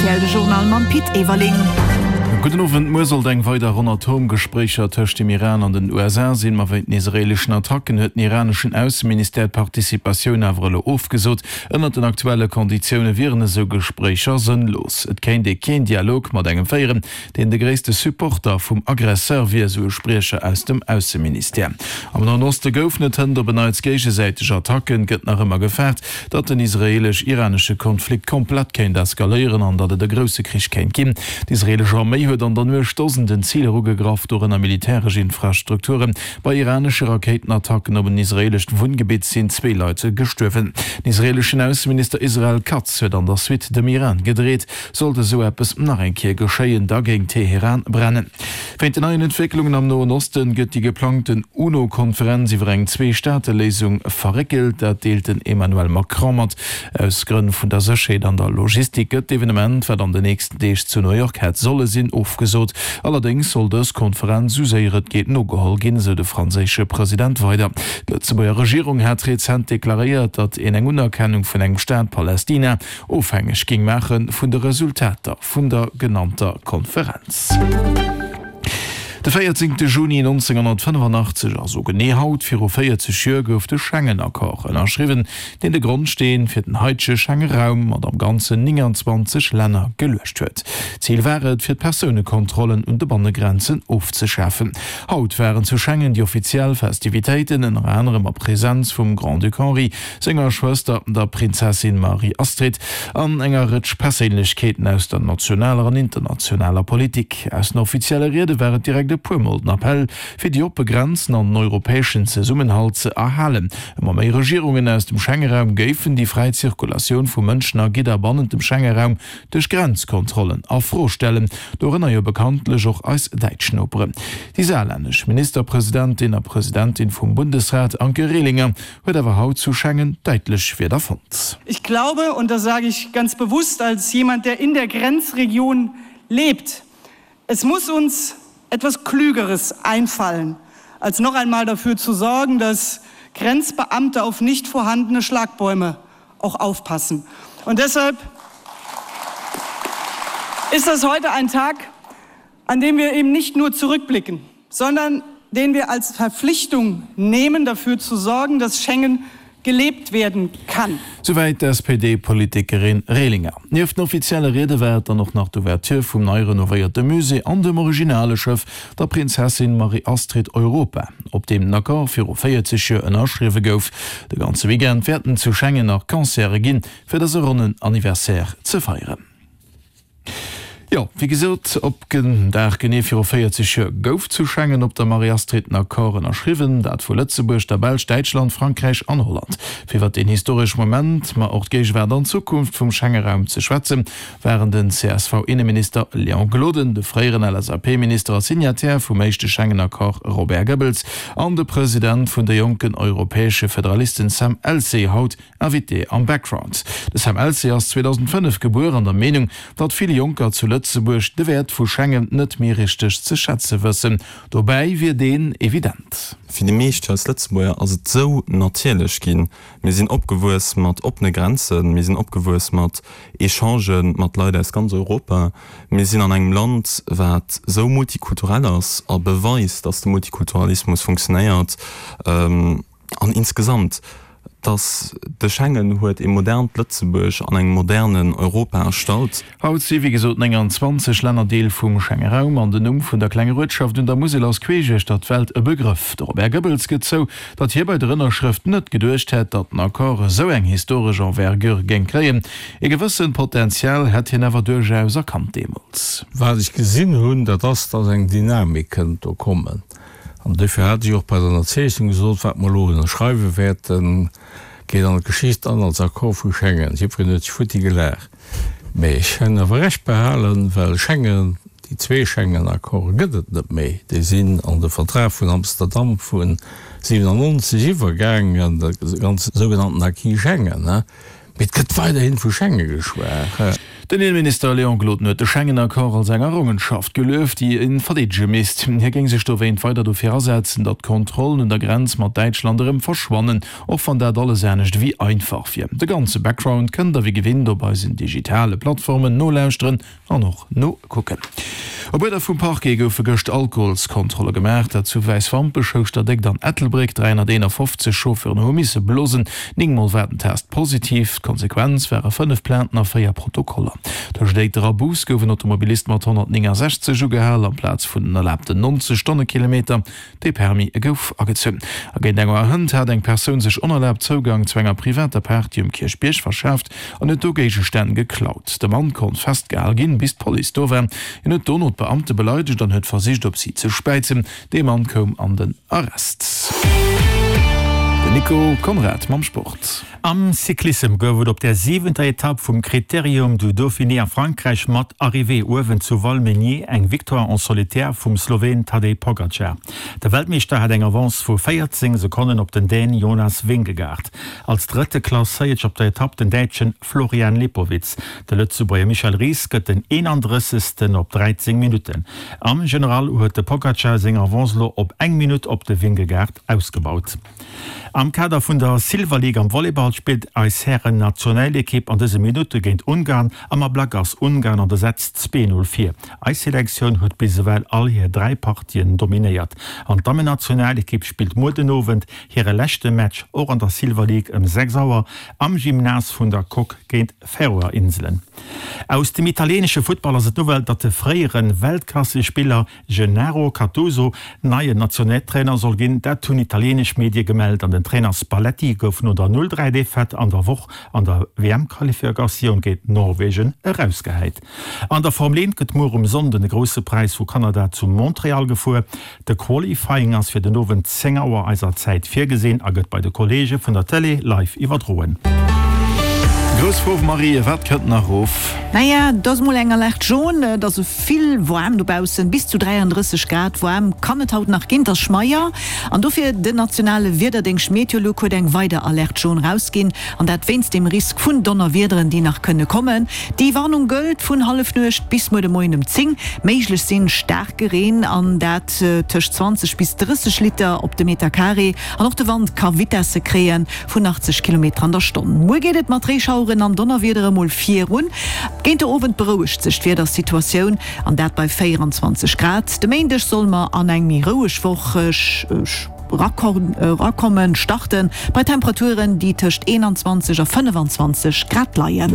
rtl, de Journal mam Pit Everling. Gudden Owend. Muer sollt eng weider Ronn Atomgespréicher tëscht dem Iran an den USA sinn, ma wéint den israeeleschen Attacken huet den iraneschen Ausseministère d'Participatioun awer elo ofgesot. Ënnert den aktuelle Konditioune wieren esou Gespréicher sënnlos. Et kéint ee keen Dialog mat engem féieren, deen de gréisste Supporter vum Aggresseur wier, esou e Spriecher aus dem Ausseministère. Am Noen Oste goufen et hënt op en Neits géigesäiteg Attacken. Gëtt nach ëmmer gefaart, datt den israeelesch-iranesche Konflikt komplett kéint eskaléieren an datt et e grousse Krich kéint ginn. D'israeelesch Arméi huet an der Nuecht Dosenden Ziler ugegraff, dorënner militäresch Infrastrukturen. Bei iranesche Rakéitenattacken op en israeelescht Wunngebitt sinn zwee Leit gestuerwen. Den israeeleschen Ausseminister Israel Katz huet an der Suite dem Iran gedreet, Sollt esou eppes nach eng Kéier geschéien, da géing Teheran brennen. Wéint den neien Entwécklungen am Noen Osten gëtt déi geplangten UNO-Konferenz iwwer eng Zwee-Staate-Léisung verréckelt. Dat deelt den Emmanuel Macron mat. Aus Grënn vun der Sécherheet an der Logistik gëtt d'Evenement, wat an den nächsten Deeg zu New York hätt solle sinn, ofgesot. Allerdéngs soll dës Konferenz esou séier et geet nogeholl ginn, esou de franséische President weider. D'Lëtzebuerger Regierung hat rezent deklaréiert, datt een eng Unerkennung vun engem Staat Palästina ofhängeg géing maache vun de Resultater vun der genannter Konferenz. De 14 Juni 1985, also genee haut viru 40 Joer, gouf de Schengen-Accord ënnerschriwwen, deen de Grondsteen fir den haitege Schenge-Raum mat am Ganzen 29 Länner geluecht huet. Zil war et, fir d'Persounekontrollen un de Bannegrenzen ofzeschafen. Haut waren zu Schengen déi offiziell Festivitéiten, ënner anerem a Presenz vum Grand-Duc Henri, senger Schwëster, der Prinzessin Marie-Astrid, an enger Rëtsch Perséinlechkeeten aus der nationaler an internationaler Politik. Aus den offizielle Riede war et direkt e puer Mol den Appell, fir déi oppe Grenzen an den europäeschen Zesummenhalt ze erhalen. Ëmmer méi Regierungen aus dem Schengeraum géifen déi fräi Zirkulatioun vu Mënschen a Gidder bannent dem Schengeraum duerch Grenzkontrollen a Fro stellen, dorënner jo bekanntlech och eis däitsch Noperen. Déi saarlännesch Ministerpresidentin a Presidentin vum Bundesrat, Anke Rehlinger, huet awer haut zu Schengen däitlech Wierder fonnt. Ich glaube, und das sage ich ganz bewusst als jemand, der in der Grenzregion lebt, es muss uns etwas Klügeres einfallen, als noch einmal dafür zu sorgen, dass Grenzbeamte auf nicht vorhandene Schlagbäume auch aufpassen. Und deshalb ist das heute ein Tag, an dem wir eben nicht nur zurückblicken, sondern den wir als Verpflichtung nehmen, dafür zu sorgen, dass Schengen gelebt werden kann. Souwäit d'SPD-Politikerin Rehlinger. Nieft den offizielle Riede war et dann och nach d'Ouverture vum nei renovéierte Musée an dem originale Schëff, der Prinzessin Marie-Astrid Europa, op deem den Accord viru 40 Joer ënnerschriwwe gouf. De ganze Weekend wäerten zu Schengen nach Concerte ginn, fir dëse ronnen Anniversaire ze feieren. Jo, wéi gesot, op den Dag genee viru 40 Joer gouf zu Schengen op der Marie-Astrid den Accord ënnerschriwwen, dat vu Lëtzebuerg, der Belsch, Däitschland, Frankräich an Holland. Fir iwwer deen historesch Moment, ma och d'Géigewaart an d'Zukunft vum Schengeraum ze schwätzen, waren den CSV-Inneminister Léon Gloden, de fréieren LSAP-Minister a Signataire vum éischte Schengen-Accord Robert Goebbels an de President vun de jonken europäesche Federalisten Sam Elsey haut Invité am Background. De Sam Elsey ass 2005 gebuer an der Meenung, datt vill Jonker zu Lëtzebuerg de Wäert vu Schengen net méi richteg ze schätze wëssen. Dobäi wier deen evident. Fir déi meescht eis Lëtzebuerger ass et esou natierlech ginn. Mir sinn opgewuess mat oppene Grenzen, mir sinn opgewuess mat Echangë mat Leit aus ganz Europa. Mir sinn an engem Land, wat esou multikulturell ass a beweist, datt de Multikulturalismus funktionéiert. An insgesamt, dass de Schengen huet ee modernt Lëtzebuerg an engem modernen Europa erstallt. Haut si wéi gesot 29 Länner Deel vum Schengeraum an den Numm vun der klenger Uertschaft un der Musel ass queesch uechter d'Welt e Begrëff. De Robert Goebbels gëtt zou, datt hie bei der Ënnerschrëft net geduecht hätt, datt den Accord esou eng historesch Envergure géing kréien. E gewëssent Potential hätt hien awer duerchaus erkannt deemools. Wat ech gesinn hunn, dat ass, datt eng Dynamik kënnt do kommen. An duerfir hat ech och bei der Ënnerzeechnung gesot, wat mer elo ënnerschreiwe wäerten, geet an d'Geschicht an als Accord vu Schengen. Jiddwereen huet sech futti gelaacht. Mä ech hunn awer Recht behalen, well Schengen, déi zwee Schengen-Accorde gëtt et net méi. Déi sinn an de Vertrag vun Amsterdam vu 97 iwwergaangen, de ganze sougenannten Acquis Schengen. Mee et gëtt weiderhin vu Schengen geschwat. Den Inneminister Léon Gloden huet de Schengen-Accord als eng Errongenschaft gelueft, déi e verdeedege misst. Hie géing sech dowéint weider dofir asetzen, datt d'Kontrollen un der Grenz mat Däitschland erëm verschwannen, och wann dat alles anescht ewéi einfach wier. De ganze Background kënnt der wéi gewinnt op eisen digitale Plattformen nolauschteren. An och nokucken. Op Uerder vum Parquet goufe gëscht Alkoholskontrolle gemaach, dat zu Wäiswampech, Houschterdéckt an Ettelbréck. 351 Chauffeuren hu misse blosen, 9 Mol war den Test positiv. D'Konsequenz ware 5 Plainten a 4 Protokoller. Tëscht Éiter a Bous gouf en Automobilist mat 169 ugehal, amplaz vun den erlaabten 90 Stonnekilometer. Dee Permis gouf agezunn. A géint eng Auer hënt hat eng Persoun sech onerlaabt Zougang zu enger privater Party um Kierchbierg verschaaft an huet do Géigestänn geklaut. De Mann konnt festgehal ginn, bis d'Police do war. Hien huet dono d'Beamte beleidegt an huet versicht, op si ze späizen. Dee Mann koum an den Arrest. Den Nico Conrad mam Sport. Am Cyclissem gouf et op der siwenter Etapp vum Critérium du Dauphiné a Frankräich mat Arrivée uewen zu Valmeinier eng Victoire en solitaire vum Sloween Tadej Pogacar. De Weltmeeschter hat eng Avance vu 14 Sekonnen op den Dän Jonas Vingegaard. Als Drëtte klasséiert sech op der Etapp den Däitschen Florian Lipowitz. De Lëtzebuerger Michel Ries gëtt den 31. op 13 Minutten. Am General huet de Pogacar seng Avance elo op eng Minutt op de Vingegaard ausgebaut. Am Kader vun der Silver League am Volleyball spillt eis Hären-Nationalekipp an dëse Minutte géint Ungarn. Am Ablack ass Ungarn an de Sätz 2, 0 vir. Eis Selektioun huet bis ewell all hir 3 Partien dominéiert. An d'Dammen-Nationalekipp spillt muer den Owend hire leschte Match och an der Silver League ëm 6 Auer am Gymnase vun der Coque géint Färöer Inselen. Aus dem italieenesche Futtball ass et d'Nouvelle, datt de fréiere Weltklassespiller Gennaro Gattuso neien Nationaltrainer soll ginn. Dat hunn italieenesch Medie gemellt an den Trainer Spalletti gouf no der 0, 3 Defaite an der Woch an der WM-Qualifikatioun géint Norwegen erausgehäit. An der Formel 1 gëtt muer um Sonnden de Grousse Präis vu Kanada zu Montreal gefuer. De Qualifying ass fir den Owend 10 Auer eiser Zäit virgesinn a gëtt bei de Kolleege vun der Tëlee live iwwerdroen. Grouss Fro Marie, wat kënnt nach erof? Naja, et ass mol eng Alerte jaune, et ass vill waarm dobaussen, bis zu 33 Grad waarm kann et haut nach ginn, et ass schmeier an dofir den nationale Wiederdéngscht Meteolux huet eng weider Alerte jaune rausginn an dat wéinst dem Risk vun Donnerwiederen, déi nach kënne kommen. Déi Warnung gëllt vun Hallefnuecht bis muer de Moien um 10. Méiglech sinn staarke Reen an dat tëscht 20 bis 30 Liter op de Meter Carré an och de Wand ka Vitesse kréie vun 80 Kilometer an der Stonn. Muer geet et mat Reeschaueren an Donnerwiedere mol virun. Géint de Owend berouegt sech d'Wiedersituatioun an dat bei 24 Grad. De Méindeg solle mer an eng méi roueg Woch erakommen, starten bei Temperaturen, déi tëscht 21 a 25 Grad leien.